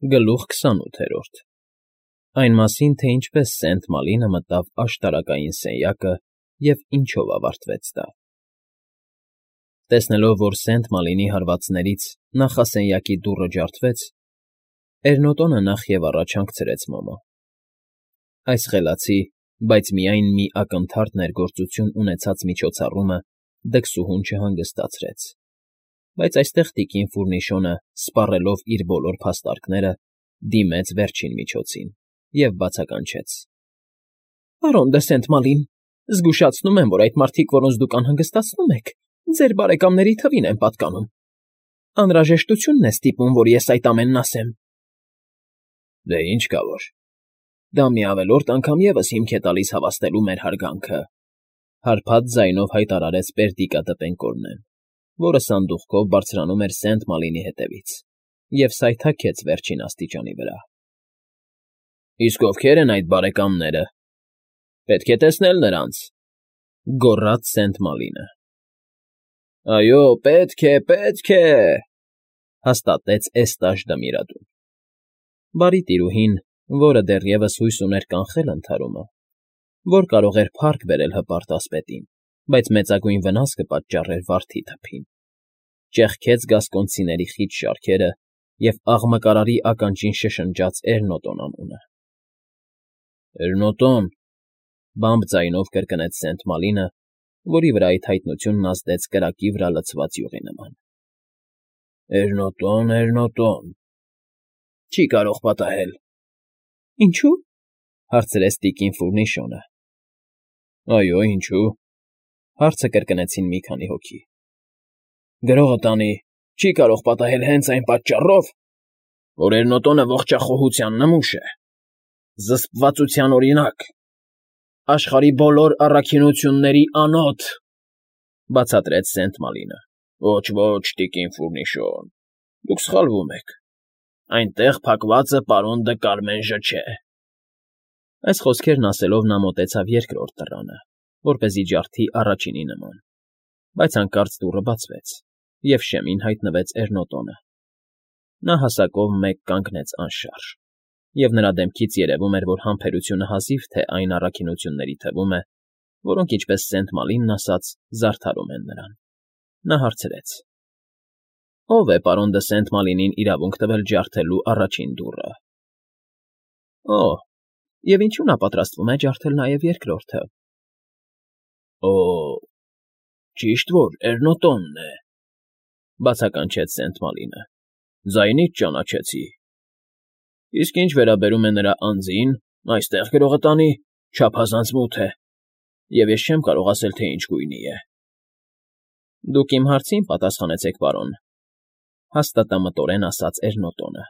Գլուխ 28 Այն մասին, թե ինչպես Սենտ Մալինը մտավ աշտարակային սենյակը և ինչով ավարտվեց դա։ Տեսնելով, որ Սենտ Մալինի հարվածներից նախասենյակի դուռը ջարդվեց, Էրնոտոնը նախևառաջ հանգցրեց Մոմը։ Այս խելացի, բայց միայն մի ակնթարթ ներգործություն ունեցած միջոցառումը դքսուհուն չհանգստացրեց, բայց այստեղ տիկին Ֆուրնիշոնը, սպառելով իր բոլոր փաստարկները, դիմեց վերջին միջոցին և բացականչեց. Պարոն դը Սենտ Մալին, զգուշացնում եմ, որ այդ մարդիկ, որոնց դուք անհանգստացնում եք, ձեր բարեկամների թվին են պատկանում։ Անհրաժեշտությունն է ստիպում, որ ես այդ ամենն ասեմ։ Դե ինչ կա որ։ Դա մի ավելորդ անգամ ևս հիմք է տալիս հավաստելու մեր հարգանքը, հարբած ձայնով հայտարարեց Պերդիկա Տպենկորնեն, որը սանդուղքով բարձրանում էր Սենտ Մալինի հետևից, և սայթաքեց վերջին աստիճանի վրա։ Իսկ ովքեր են այդ բարեկամները։ Պետք է տեսնել նրանց, գոռաց Սենտ Մալինը։ Այո, պետք է, հաստատեց Էստաժ Դմիրադուն։ Բարի տիրուհին, որը դեռևս հույս ուներ կանխել ընդհարումը, որ կարող էր փառք բերել հպարտ ասպետին, բայց մեծագույն վնաս կպատճառեր վարդի թփին, ճեղքեց գասկոնցիների խիտ շարքերը և աղմկարարի ականջին շշնջաց Էրնոտոն անունը։ Էրնոտոն, բամբ ձայնով կրկնեց Սենտ Մալինը, որի վրա այդ հայտնությունն ազդեց կրակի վրա լցված յուղի նման։ Էրնոտոն, չի կարող պատահել։ Ինչո՞ւ, հարցրեց տիկին Ֆուրնիշոնը։ Այո, ինչու, հարցը կրկնեցին մի քանի հոգի։ Գրողը տանի, չի կարող պատահել հենց այն պատճառով, որ Էրնոտոնը ողջախոհության նմուշ է, զսպվածության օրինակ, աշխարհի բոլոր առաքինությունների անոթ, բացատրեց Սենտ Մալինը։ Ոչ, տիկին Ֆուրնիշոն, դուք սխալվում եք։ Այնտեղ փակվածը պարոն դը Կարմենժը չէ։ Այս խոսքերն ասելով նա մոտեցավ երկրորդ դռանը, որպեսզի ջարդի առաջինի նման, բայց հանկարծ դուռը բացվեց, և շեմին հայտնվեց Էրնոտոնը։ Նա հասակով մեկ կանգնեց անշարժ, և նրա դեմքից երևում էր, որ համբերությունը հազիվ թե այն առաքինությունների թվում է, որոնք, ինչպես Սենտ Մալինն ասաց, զարդարում են նրան։ Նա հարցրեց. Ո՞վ է պարոն դը Սենտ Մալինին իրավունք տվել ջարդելու առաջին դուռը։ Եվ ինչու նա պատրաստվում է ջարդել նաև երկրորդը։ Ճիշտ որ Էրնոտոնն է, բացականչեց Սենտ Մալինը։ Ձայնից ճանաչեցի։ Իսկ ինչ վերաբերում է նրա անձին, այստեղ գրողը տանի, չափազանց մութ է, և ես չեմ կարող ասել, թե ինչ գույնի է։ Դուք իմ հարցին պատասխանեցեք, պարոն, հաստատամտորեն ասաց Էրնոտոնը։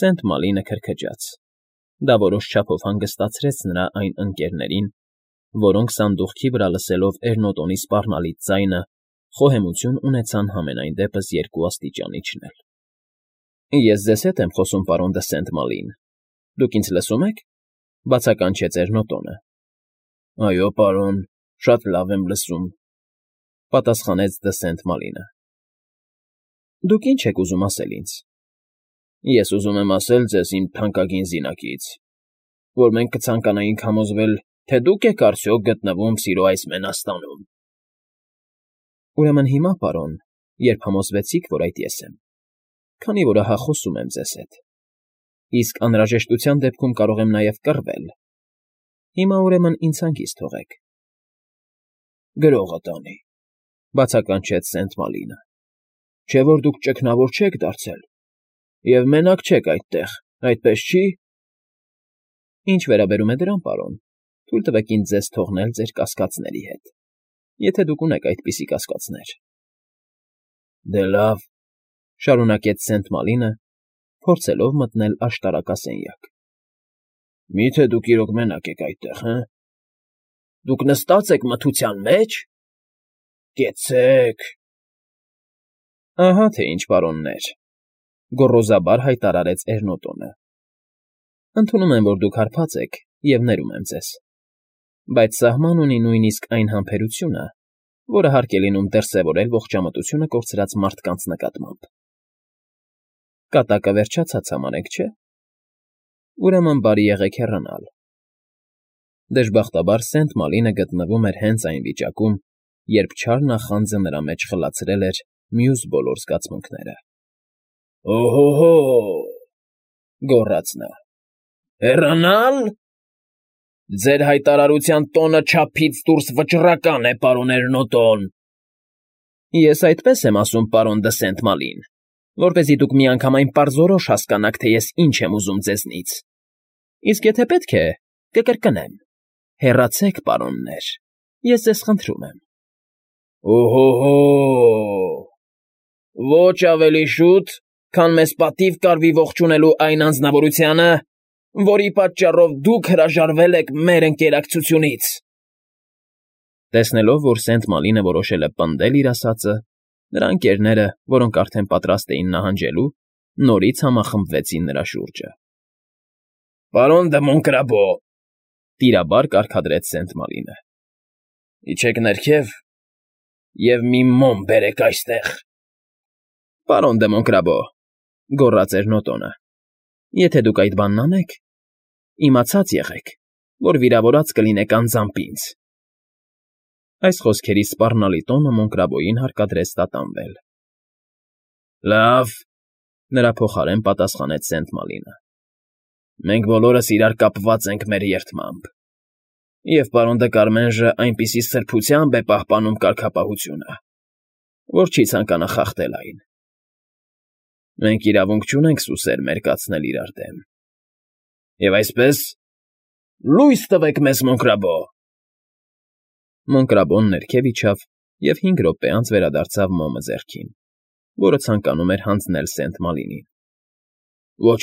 Սենտ Մալինը քրքջաց։ Դա որոշ չափով հանգստացրեց նրա այն ընկներներին, որոնք սանդուղքի վրա լսելով Էրնոտոնի սպառնալից ձայնը, խոհեմություն ունեցան համենայն դեպս երկու աստիճան իջնել։ Ես ձեզ հետ եմ խոսում, պարոն դը Սենտ Մալին։ Դուք ինձ լսում եք, բացականչեց Էրնոտոնը։ Այո, պարոն, շատ լավ եմ լսում, պատասխանեց դը Սենտ Մալինը։ Դուք ինչ եք ուզում ասել ինձ։ Ես ուզում եմ ասել ձեզ իմ թանկագին զինակից, որ մենք կցանկանայինք համոզվել, թե դուք եք արդյոք գտնվում սիրո այս մենաստանում։ Ուրեմն հիմա, պարոն, երբ համոզվեցիք, որ այդ ես եմ, քանի որ ահա խոսում եմ ձեզ հետ, իսկ անհրաժեշտության դեպքում կարող եմ նաև կռվել, հիմա ուրեմն ինձ հանգիստ թողեք։ Գրողը տանի, բացականչեց Սենտ Մալինը, չէ՞ որ դուք ճգնավոր չեք դարձել, և մենակ չեք այդտեղ, այդպես չի։ Ինչ վերաբերում է դրան, պարոն, թույլ տվեք ինձ ձեզ թողնել ձեր կասկածների հետ, եթե դուք ունեք այդպիսի կասկածներ։ Դե լավ, շարունակեց Սենտ Մալինը, փորձելով մտնել աշտարակասենյակ։ Մի՞թե դուք իրոք մենակ եք այդտեղ, հը։ Դուք նստած եք մթության մեջ։ Կեցեք։ Ահա թե ինչ, պարոններ, գոռոզաբար հայտարարեց Էրնոտոնը։ Ընդունում եմ, որ դուք հարբած եք, և ներում եմ ձեզ, բայց սահման ունի նույնիսկ այն համբերությունը, որը հարկ է լինում դրսևորել ողջամտությունը կորցրած մարդկանց նկատմամբ։ Կատակը վերջացած համարեք, չէ՞։ Ուրեմն բարի եղեք հեռանալ։ Դժբախտաբար Սենտ Մալինը գտնվում էր հենց այն վիճակում, երբ չար նախանձը նրա մեջ խլացրել էր մյուս բոլոր զգացմունքները։ «Օհո՜հո՜,» գոռաց նա։ «Հեռանալ… Ձեր հայտարարության տոնը չափից դուրս վճռական է, պարոն Էրնոտոն»։ Ես այդպես եմ ասում, պարոն դը Սենտ որպեսզի դուք միանգամայն պարզորոշ հասկանաք, թե ես ինչ եմ ուզում ձեզնից։ Իսկ եթե պետք է, կկրկնեմ. հեռացեք, պարոններ, ես ձեզ խնդրում եմ։ Օհո՜հո՜, ոչ ավելի շուտ, քան մեզ պատիվ կարվի ողջունելու այն անձնավորությանը, որի պատճառով դուք հրաժարվել եք մեր ընկերակցությունից։ Տեսնելով, որ Սենտ Մալինը որոշել է պնդել իր ասածը, նրա ընկերները, որոնք արդեն պատրաստ էին նահանջելու, նորից համախմբվեցին նրա շուրջը։ «Պարոն դը Մոնկրաբո,» տիրաբար կարգադրեց Սենտ Մալինը,֊ իջեք ներքև և մի մոմ բերեք այստեղ։ «Պարոն դը Մոնկրաբո,֊ գոռաց Էրնոտոնը,֊ եթե դուք այդ բանն անեք, իմացած եղեք, որ վիրավորած կլինեք անձամբ ինձ»։ Այս խոսքերի սպառնալի տոնը Մոնկրաբոյին հարկադրեց տատանվել։ «Լավ,֊ նրա փոխարեն պատասխանեց Սենտ Մալինը,֊ մենք բոլորս իրար կապված ենք մեր երդմամբ, և պարոն դը Կարմենժը այնպիսի սրբությամբ է պահպանում կարգապահությունը, որ չի ցանկանա խախտել այն։ Մենք իրավունք չունենք սուսեր մերկացնել իրար դեմ։ Եվ այսպես, լույս տվեք մեզ, Մոնկրաբո»։ Մոնկրաբոն ներքև իջավ և 5 րոպե անց վերադարձավ մոմը ձեռքին, որը ցանկանում էր հանձնել Սենտ Մալինին։ «Ոչ,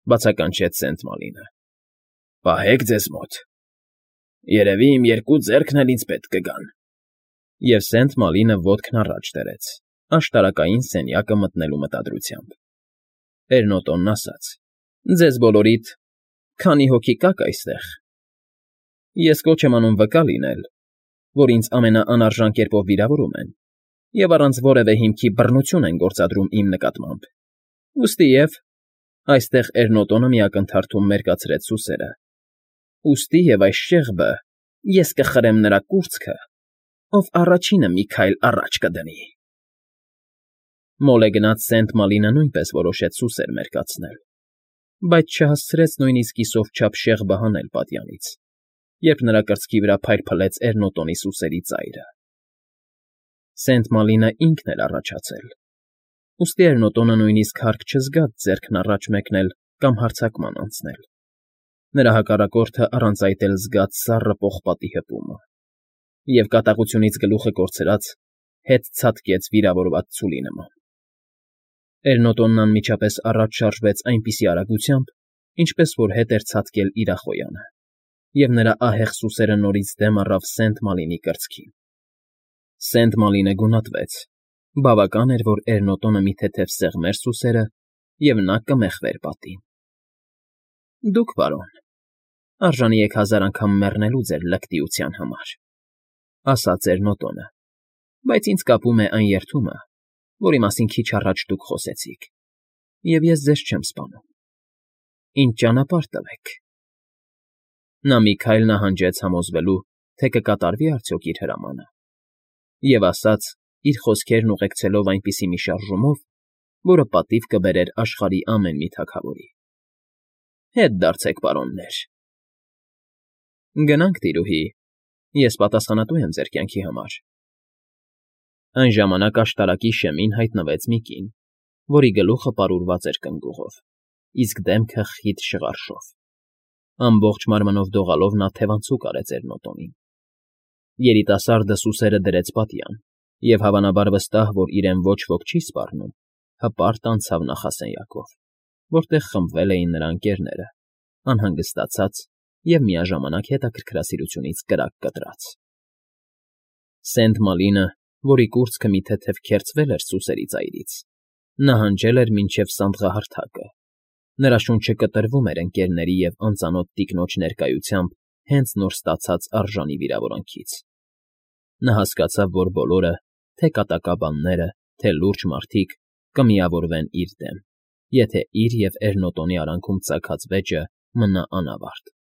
բացականչեց Սենտ Մալինը, պահեք ձեզ մոտ, երևի իմ երկու ձեռքն էլ ինձ պետք կգան»։ Եվ Սենտ Մալինը ոտքն առաջ դրեց, աշտարակային սենյակը մտնելու մտադրությամբ։ Էրնոտոնն ասաց. «Ձեզ բոլորիդ քանի հոգի կաք այստեղ։ Ես կոչ եմ անում վկա լինել, որ ինձ ամենաանարժան կերպով վիրավորում են և առանց որևէ հիմքի բռնություն են գործադրում իմ նկատմամբ։ Ուստիև այստեղ Էրնոտոնը մի ակնթարթում մերկացրեց սուսերը։ Ուստի և այս շեղբը ես կխրեմ նրա կուրծքը, ով առաջինը մի քայլ առաջ կդնի»։ Մոլեգնած Սենտ Մալինը նույնպես որոշեց սուսեր մերկացնել, բայց չհասցրեց նույնիսկ կիսով չափ շեղբը հանել պատյանից, երբ նրա կրծքի վրա փայլփլեց Էրնոտոնի սուսերի ծայրը։ Սենտ Մալինը ինքն էր առաջացել, ուստի Էրնոտոնը նույնիսկ հարկ չզգաց ձեռքն առաջ մեկնել կամ հարձակման անցնել։ Նրա հակառակորդը առանց այդ էլ զգաց սառը պողպատի հպումը և կատաղությունից գլուխը կորցրած հետ ցատկեց վիրավորված ցուլի նման։ Էրնոտոնն անմիջապես առաջ շարժվեց այնպիսի արագությամբ, ինչպես որ հետ էր ցատկել իրախոյանը, և նրա ահեղ սուսերը նորից դեմ առավ Սենտ Մալինի կրծքին։ Սենտ Մալինը գունատվեց. բավական էր, որ Էրնոտոնը մի թեթև սեղմեր սուսերը, և նա կմեխվեր պատին։ «Դուք, պարոն, արժանի եք 1000 անգամ մեռնելու ձեր լկտիության համար», ասաց Էրնոտոնը, «բայց ինձ կապում է այն երդումը, որի մասին քիչ առաջ դուք խոսեցիք, և ես ձեզ չեմ սպանում։ Ինձ ճանապարհ տվեք»։ Նա մի քայլ նահանջեց համոզվելու, թե կկատարվի արդյոք իր հրամանը, և ասաց, իր խոսքերն ուղեկցելով այնպիսի մի շարժումով, որը պատիվ կբերեր աշխարհի ամեն մի թագավորի. «Հետ դարձեք, պարոններ»։ «Գնանք, տիրուհի, ես պատասխանատու եմ ձեր կյանքի համար»։ Այն ժամանակ աշտարակի շեմին հայտնվեց մի կին, որի գլուխը պարուրված էր կնգուղով, իսկ դեմքը խիտ շղարշով։ Ամբողջ մարմնով դողալով նա թևանցուկ արեց Էրնոտոնին։ Երիտասարդը սուսերը դրեց պատյան և, հավանաբար վստահ, որ իրեն ոչ ոք չի սպառնում, հպարտ անցավ նախասենյակով, որտեղ խմբվել էին նրա ընկերները, անհանգստացած և միաժամանակ հետաքրքրասիրությունից կրակ կտրած։ Սենտ Մալինը, որի կուրծքը մի թեթև քերծվել էր սուսերի ծայրից, նահանջել էր մինչև սանդղահարթակը։ Նրա շունչը կտրվում էր ընկերների և անծանոթ տիկնոջ ներկայությամբ հենց նոր ստացած արժանի վիրավորանքից։ Նա հասկացավ, որ բոլորը, թե կատակաբանները, թե լուրջ մարդիկ, կմիավորվեն իր դեմ։ եթե իր և Էրնոտոնի արանքում ծագած վեճը մնա անավարտ։